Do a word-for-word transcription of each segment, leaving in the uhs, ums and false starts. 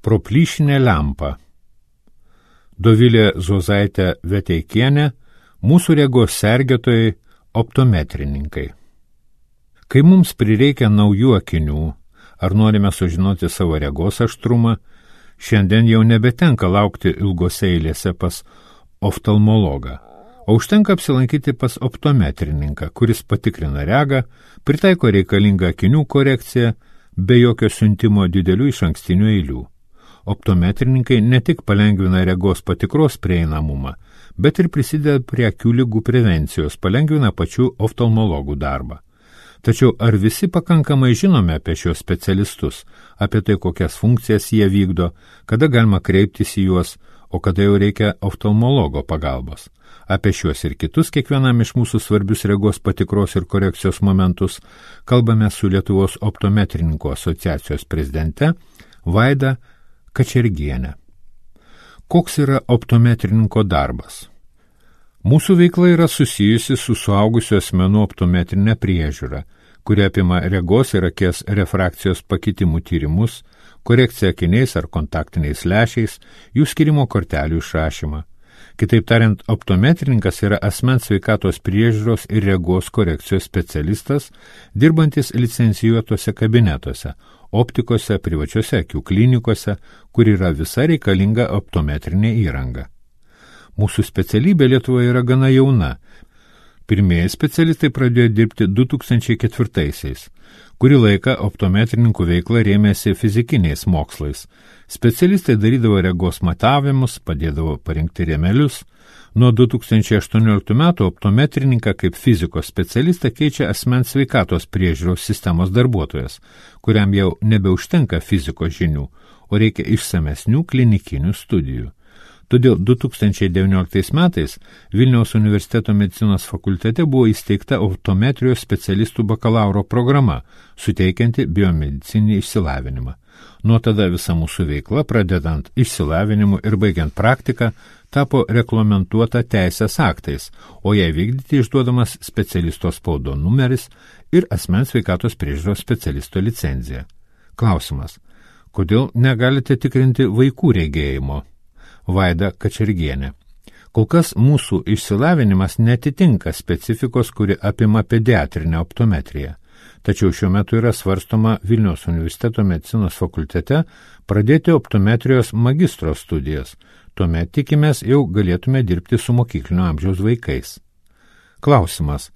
Proplyšinė lempa. Dovilė Zuozaitė Veteikienė, mūsų regos sergėtojai, optometrininkai. Kai mums prireikia naujų akinių, ar norime sužinoti savo regos aštrumą, šiandien jau nebetenka laukti ilgose eilėse pas oftalmologą, o užtenka apsilankyti pas optometrininką, kuris patikrina regą, pritaiko reikalingą akinių korekciją, be jokio siuntimo didelių išankstinių eilių. Optometrininkai ne tik palengvina regos patikros prieinamumą, bet ir prisideda prie akių ligų prevencijos, palengvina pačių oftalmologų darbą. Tačiau ar visi pakankamai žinome apie šios specialistus, apie tai, kokias funkcijas jie vykdo, kada galima kreiptis į juos, o kada jau reikia oftalmologo pagalbos? Apie šiuos ir kitus kiekvienam iš mūsų svarbius regos patikros ir korekcijos momentus kalbame su Lietuvos optometrininkų asociacijos prezidente Vaida Kačergienė. Koks yra optometrininko darbas? Mūsų veikla yra susijusi su suaugusių asmenų optometrinė priežiūra, kuri apima regos ir akies refrakcijos pakitimų tyrimus, korekciją akiniais ar kontaktiniais lęšiais, jų skirimo kortelių išrašymą. Kitaip tariant, optometrininkas yra asmens sveikatos priežiūros ir regos korekcijos specialistas, dirbantis licencijuotose kabinetuose, optikose, privačiose akių klinikose, kur yra visa reikalinga optometrinė įranga. Mūsų specialybė Lietuvoje yra gana jauna. Pirmieji specialistai pradėjo dirbti du tūkstančiai ketvirtaisiais. Kurį laiką optometrininkų veikla rėmėsi fizikiniais mokslais. Specialistai darydavo regos matavimus, padėdavo parinkti rėmelius. Nuo du tūkstančiai aštuonioliktų metų optometrininką kaip fizikos specialistą keičia asmens sveikatos priežiūros sistemos darbuotojas, kuriam jau nebeužtenka fizikos žinių, o reikia išsamesnių klinikinių studijų. Todėl du tūkstančiai devynioliktais metais Vilniaus universiteto medicinos fakultete buvo įsteigta optometrijos specialistų bakalauro programa, suteikianti biomedicinį išsilavinimą. Nuo tada visa mūsų veikla, pradedant išsilavinimu ir baigiant praktiką, tapo reglamentuota teisės aktais, o jai vykdyti išduodamas specialisto spaudo numeris ir asmens sveikatos priežiūros specialisto licenzija. Klausimas: kodėl negalite tikrinti vaikų regėjimo? Vaida Kačergienė. Kol kas mūsų išsilavinimas netitinka specifikos, kuri apima pediatrinę optometriją. Tačiau šiuo metu yra svarstoma Vilniaus universiteto medicinos fakultete pradėti optometrijos magistro studijas. Tuomet tikimės jau galėtume dirbti su mokyklinio amžiaus vaikais. Klausimas: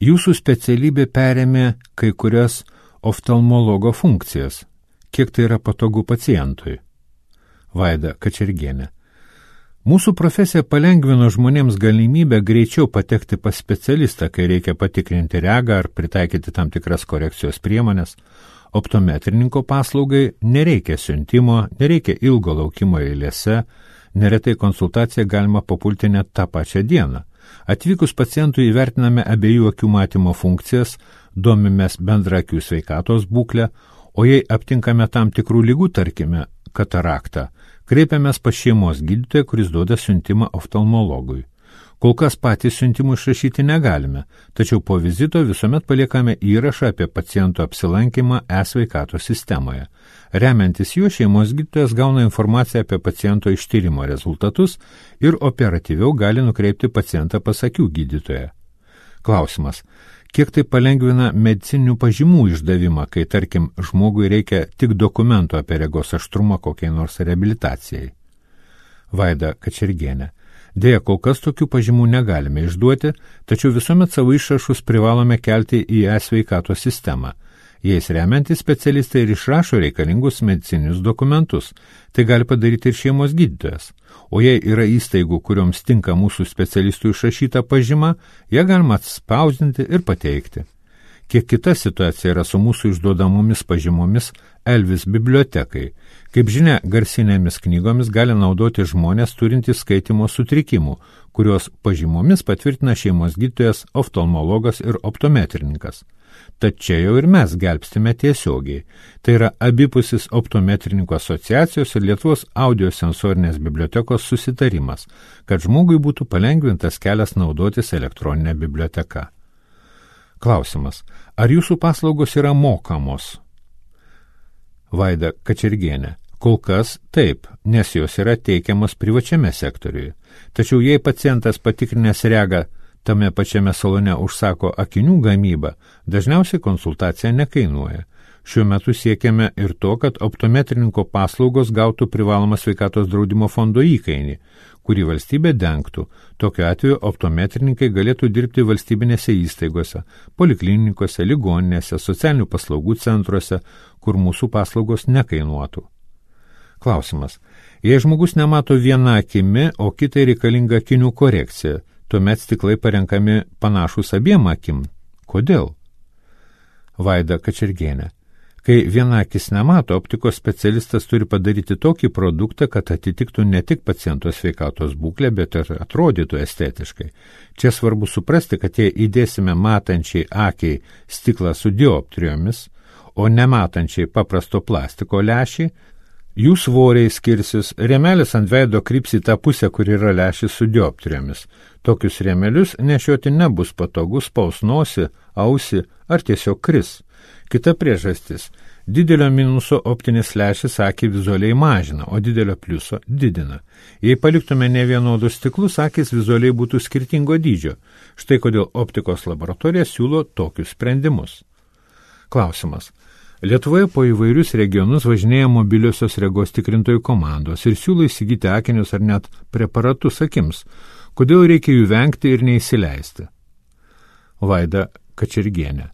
jūsų specialybė perėmė kai kurias oftalmologo funkcijas. Kiek tai yra patogu pacientui? Vaida Kačergienė. Mūsų profesija palengvino žmonėms galimybę greičiau patekti pas specialistą, kai reikia patikrinti regą ar pritaikyti tam tikras korekcijos priemonės. Optometrininko paslaugai nereikia siuntimo, nereikia ilgo laukimo eilėse, neretai konsultaciją galima papulti net tą pačią dieną. Atvykus pacientui įvertiname abiejų akių matymo funkcijas, domimės bendrą akių sveikatos būklę, o jei aptinkame tam tikrų ligų, tarkime, kataraktą, kreipiamės pas šeimos gydytoją, kuris duoda siuntimą oftalmologui. Kol kas patys siuntimų išrašyti negalime, tačiau po vizito visuomet paliekame įrašą apie paciento apsilankymą e-sveikatos sistemoje. Remiantis juo, šeimos gydytojas gauna informaciją apie paciento ištyrimo rezultatus ir operatyviau gali nukreipti pacientą pas akių gydytoją. Klausimas: kiek tai palengvina medicininių pažymų išdavimą, kai, tarkim, žmogui reikia tik dokumento apie regos aštrumą kokiai nors reabilitacijai? Vaida Kačergienė. Deja, kol kas tokių pažymų negalime išduoti, tačiau visuomet savo išrašus privalome kelti į e-sveikatos sistemą. Jais remiantys specialistai ir išrašo reikalingus medicininius dokumentus. Tai gali padaryti ir šeimos gydytojas. O jei yra įstaigų, kurioms tinka mūsų specialistų išrašyta pažyma, ją galima atspausdinti ir pateikti. Kiek kita situacija yra su mūsų išduodamomis pažymomis Elvis bibliotekai. Kaip žinia, garsinėmis knygomis gali naudoti žmonės turintys skaitymo sutrikimų, kurios pažymomis patvirtina šeimos gydytojas, oftalmologas ir optometrininkas. Tad čia jau ir mes gelbstime tiesiogiai. Tai yra abipusis optometrininkų asociacijos ir Lietuvos audiosensorinės bibliotekos susitarimas, kad žmogui būtų palengvintas kelias naudotis elektroninę biblioteką. Klausimas: ar jūsų paslaugos yra mokamos? Vaida Kačergienė. Kol kas taip, nes jos yra teikiamos privačiame sektoriuje. Tačiau jei pacientas patikrinęs regą tame pačiame salone užsako akinių gamybą, dažniausiai konsultacija nekainuoja. Šiuo metu siekiame ir to, kad optometrininko paslaugos gautų privalomą sveikatos draudimo fondo įkainį, kurį valstybė dengtų. Tokiu atveju optometrininkai galėtų dirbti valstybinėse įstaigose, poliklinikose, ligoninėse, socialinių paslaugų centruose, kur mūsų paslaugos nekainuotų. Klausimas. Jei žmogus nemato viena akimi, o kitai reikalinga akinių korekcija, tuomet stiklai parenkami panašus abiem akim. Kodėl? Vaida Kačergienė. Kai viena akis nemato, optikos specialistas turi padaryti tokį produktą, kad atitiktų ne tik paciento sveikatos būklę, bet ir atrodytų estetiškai. Čia svarbu suprasti, kad jei įdėsime matančiai akiai stiklą su dioptrijomis, o nematančiai paprasto plastiko lęšį, jų svoriai skirsis, rėmelis ant veido kryps į tą pusę, kur yra lęšis su dioptrijomis. Tokius rėmelius nešioti nebus patogus, spaus nosį, ausį ar tiesiog kris. Kita priežastis. Didelio minuso optinis lęšis akį vizualiai mažina, o didelio pliuso didina. Jei paliktume ne vienodus stiklus, akis vizualiai būtų skirtingo dydžio. Štai kodėl optikos laboratorija siūlo tokius sprendimus. Klausimas. Lietuvoje po įvairius regionus važinėja mobiliosios regos tikrintojų komandos ir siūlo įsigyti akinius ar net preparatus akims. Kodėl reikia jų vengti ir neįsileisti? Vaida Kačergienė.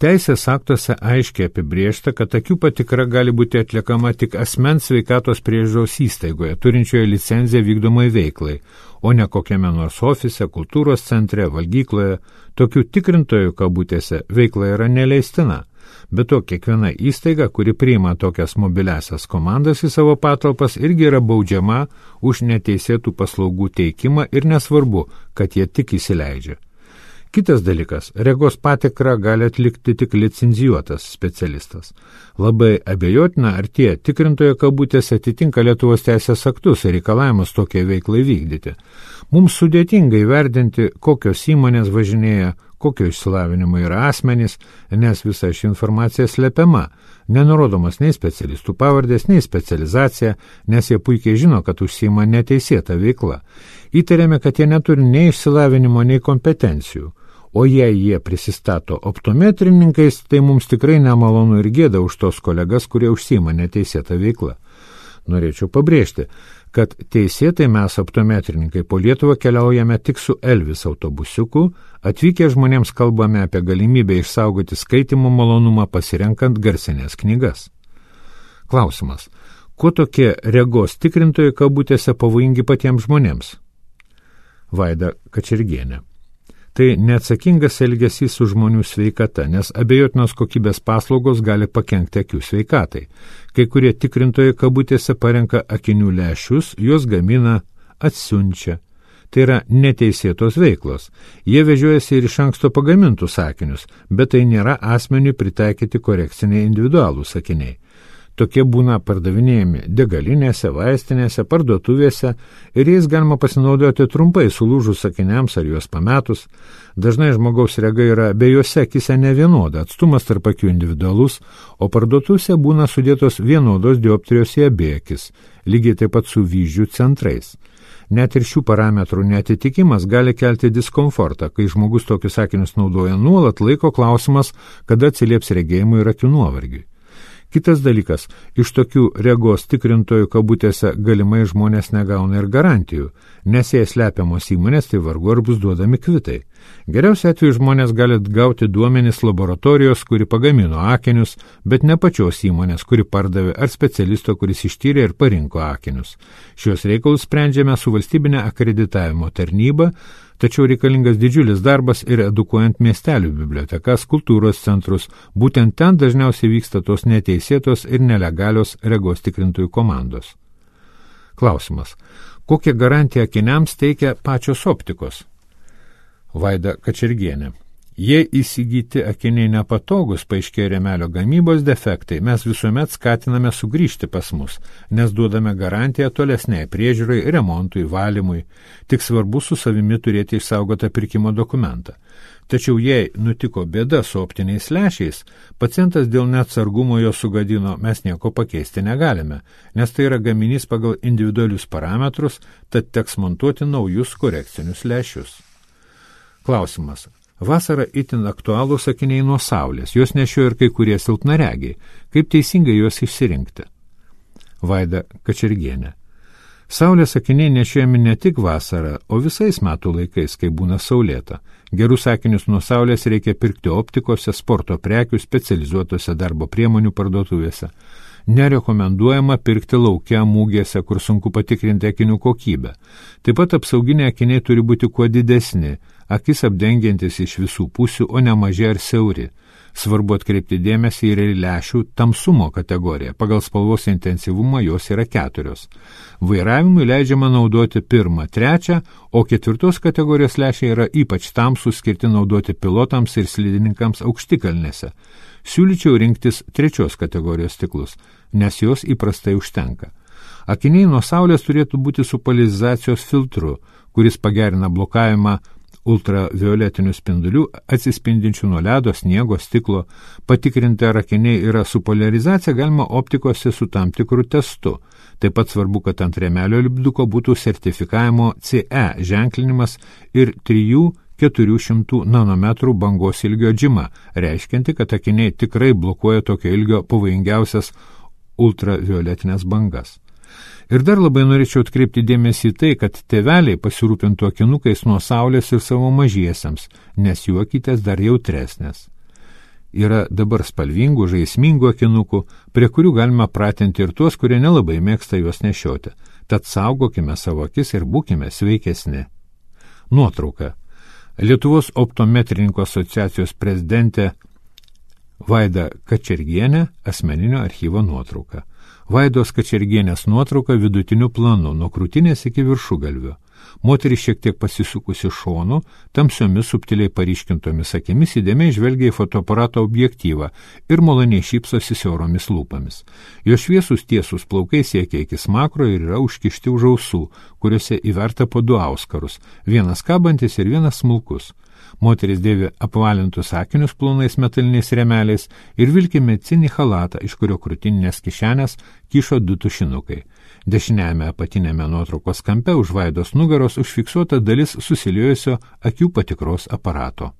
Teisės aktuose aiškiai apibrėžta, kad akių patikra gali būti atliekama tik asmens sveikatos priežiūros įstaigoje, turinčioje licenciją vykdomai veiklai, o ne kokiame nors ofise, kultūros centre, valgykloje. Tokių tikrintojų kabutėse veikla yra neleistina. Be to, kiekviena įstaiga, kuri priima tokias mobiliasias komandas į savo patalpas, irgi yra baudžiama už neteisėtų paslaugų teikimą ir nesvarbu, kad jie tik įsileidžia. Kitas dalykas, regos patikrą gali atlikti tik licencijuotas specialistas. Labai abejotina, ar tie tikrintojo kabutėse atitinka Lietuvos teisės aktus ir reikalavimus tokiai veiklai vykdyti. Mums sudėtinga įvertinti, kokios įmonės važinėja, kokio išsilavinimo yra asmenys, nes visa ši informacija slepiama, nenurodomas nei specialistų pavardės, nei specializacija, nes jie puikiai žino, kad užsiima neteisėta veikla. Įtariame, kad jie neturi nei išsilavinimo, nei kompetencijų. O jei jie prisistato optometrininkais, tai mums tikrai nemalonu ir gėda už tos kolegas, kurie užsiima neteisėtą veiklą. Norėčiau pabrėžti, kad teisėtai mes optometrininkai po Lietuvą keliaujame tik su Elvis autobusiuku, atvykę žmonėms kalbame apie galimybę išsaugoti skaitymo malonumą pasirenkant garsinės knygas. Klausimas. Kuo tokie regos tikrintojai kabutėse pavojingi patiems žmonėms? Vaida Kačergienė. Tai neatsakingas elgesys su žmonių sveikata, nes abejotinos kokybės paslaugos gali pakenkti akių sveikatai. Kai kurie tikrintojai kabutėse parenka akinių lęšius, juos gamina, atsiunčia. Tai yra neteisėtos veiklos. Jie vežiojasi ir iš anksto pagamintus akinius, bet tai nėra asmeniui pritaikyti korekciniai individualūs akiniai. Tokie būna pardavinėjami degalinėse, vaistinėse, parduotuvėse ir jais galima pasinaudoti trumpai sulūžus akiniams ar juos pametus. Dažnai žmogaus rega yra abiejose akise nevienoda, atstumas tarp akių individualus, o parduotuvėse būna sudėtos vienodos dioptrijos į abi akis, lygiai taip pat su vyzdžių centrais. Net ir šių parametrų neatitikimas gali kelti diskomfortą, kai žmogus tokius akinius naudoja nuolat, laiko klausimas, kada atsilieps regėjimui ir akių nuovargiui. Kitas dalykas, iš tokių regos tikrintojų kabutėse galimai žmonės negauna ir garantijų, nes jei slepiamos įmonės, tai vargu ar bus duodami kvitai. Geriausiu atveju žmonės gali gauti duomenis laboratorijos, kuri pagamino akinius, bet ne pačios įmonės, kuri pardavė, ar specialisto, kuris ištyrė ir parinko akinius. Šios reikalus sprendžiame su valstybinė akreditavimo tarnyba, tačiau reikalingas didžiulis darbas ir edukuojant miestelių bibliotekas, kultūros centrus. Būtent ten dažniausiai vyksta tos neteisėtos ir nelegalios regos tikrintojų komandos. Klausimas. Kokią garantiją akiniams teikia pačios optikos? Vaida Kačergienė. Jei įsigyti akiniai nepatogus, paaiškėja rėmelio gamybos defektai, mes visuomet skatiname sugrįžti pas mus, nes duodame garantiją tolesniai priežiūrai, remontui, valymui. Tik svarbu su savimi turėti išsaugotą pirkimo dokumentą. Tačiau jei nutiko bėda su optiniais lęšiais, pacientas dėl neatsargumo jo sugadino, mes nieko pakeisti negalime, nes tai yra gaminys pagal individualius parametrus, tad teks montuoti naujus korekcinius lęšius. Klausimas. Vasara itin aktualūs akiniai nuo saulės, jos nešioja ir kai kurie silpnaregiai. Kaip teisingai juos išsirinkti? Vaida Kačergienė. Saulės akiniai nešiojami ne tik vasarą, o visais metų laikais, kai būna saulėta. Gerus akinius nuo saulės reikia pirkti optikose, sporto prekių, specializuotose darbo priemonių parduotuvėse. Nerekomenduojama pirkti lauke mūgėse, kur sunku patikrinti akinių kokybę. Taip pat apsauginiai akiniai turi būti kuo didesni, akis apdengiantis iš visų pusių, o ne maži ar siauri. Svarbu atkreipti dėmesį ir į lęšių tamsumo kategoriją. Pagal spalvos intensyvumą jos yra keturios. Vairavimui leidžiama naudoti pirmą, trečią, o ketvirtos kategorijos lęšiai yra ypač tamsūs, skirti naudoti pilotams ir slidininkams aukštikalnėse. Siūlyčiau rinktis trečios kategorijos stiklus, nes jos įprastai užtenka. Akiniai nuo saulės turėtų būti su poliarizacijos filtru, kuris pagerina blokavimą ultravioletinių spindulių atsispindinčių nuo ledo, sniego, stiklo. Patikrinti, ar akiniai yra su poliarizacija, galima optikose su tam tikru testu. Taip pat svarbu, kad ant rėmelio lipduko būtų sertifikavimo C E ženklinimas ir trijų keturių šimtų nanometrų bangos ilgio džima, reiškianti, kad akiniai tikrai blokuoja tokio ilgio pavojingiausias ultravioletinės bangas. Ir dar labai norėčiau atkreipti dėmesį į tai, kad tėveliai pasirūpintų akinukais nuo saulės ir savo mažiesiems, nes jų akytės dar jautresnės. Yra dabar spalvingų, žaismingų akinukų, prie kurių galima pratinti ir tuos, kurie nelabai mėgsta juos nešioti. Tad saugokime savo akis ir būkime sveikesni. Nuotrauka. Lietuvos optometrininkų asociacijos prezidentė Vaida Kačergienė, asmeninio archyvo nuotrauka. Vaidos Kačergienės nuotrauka vidutiniu planu, nuo krūtinės iki viršugalvio. Moteris šiek tiek pasisukusi šonu, tamsiomis subtiliai paryškintomis akimis įdėmiai žvelgia į fotoaparato objektyvą ir maloniai šypsosi siauromis lūpomis. Jo šviesus tiesus plaukai siekia iki smakro ir yra užkišti už ausų, kuriuose įverta po du auskarus, vienas kabantis ir vienas smulkus. Moteris dėvi apvalintus akinius plonais metaliniais rėmeliais ir vilki medicininį chalatą, iš kurio krūtininės kišenės kyšo du tušinukai. Dešiniajame apatinėme nuotraukos kampe už Vaidos nugaros užfiksuota dalis susiliejusio akių patikros aparato.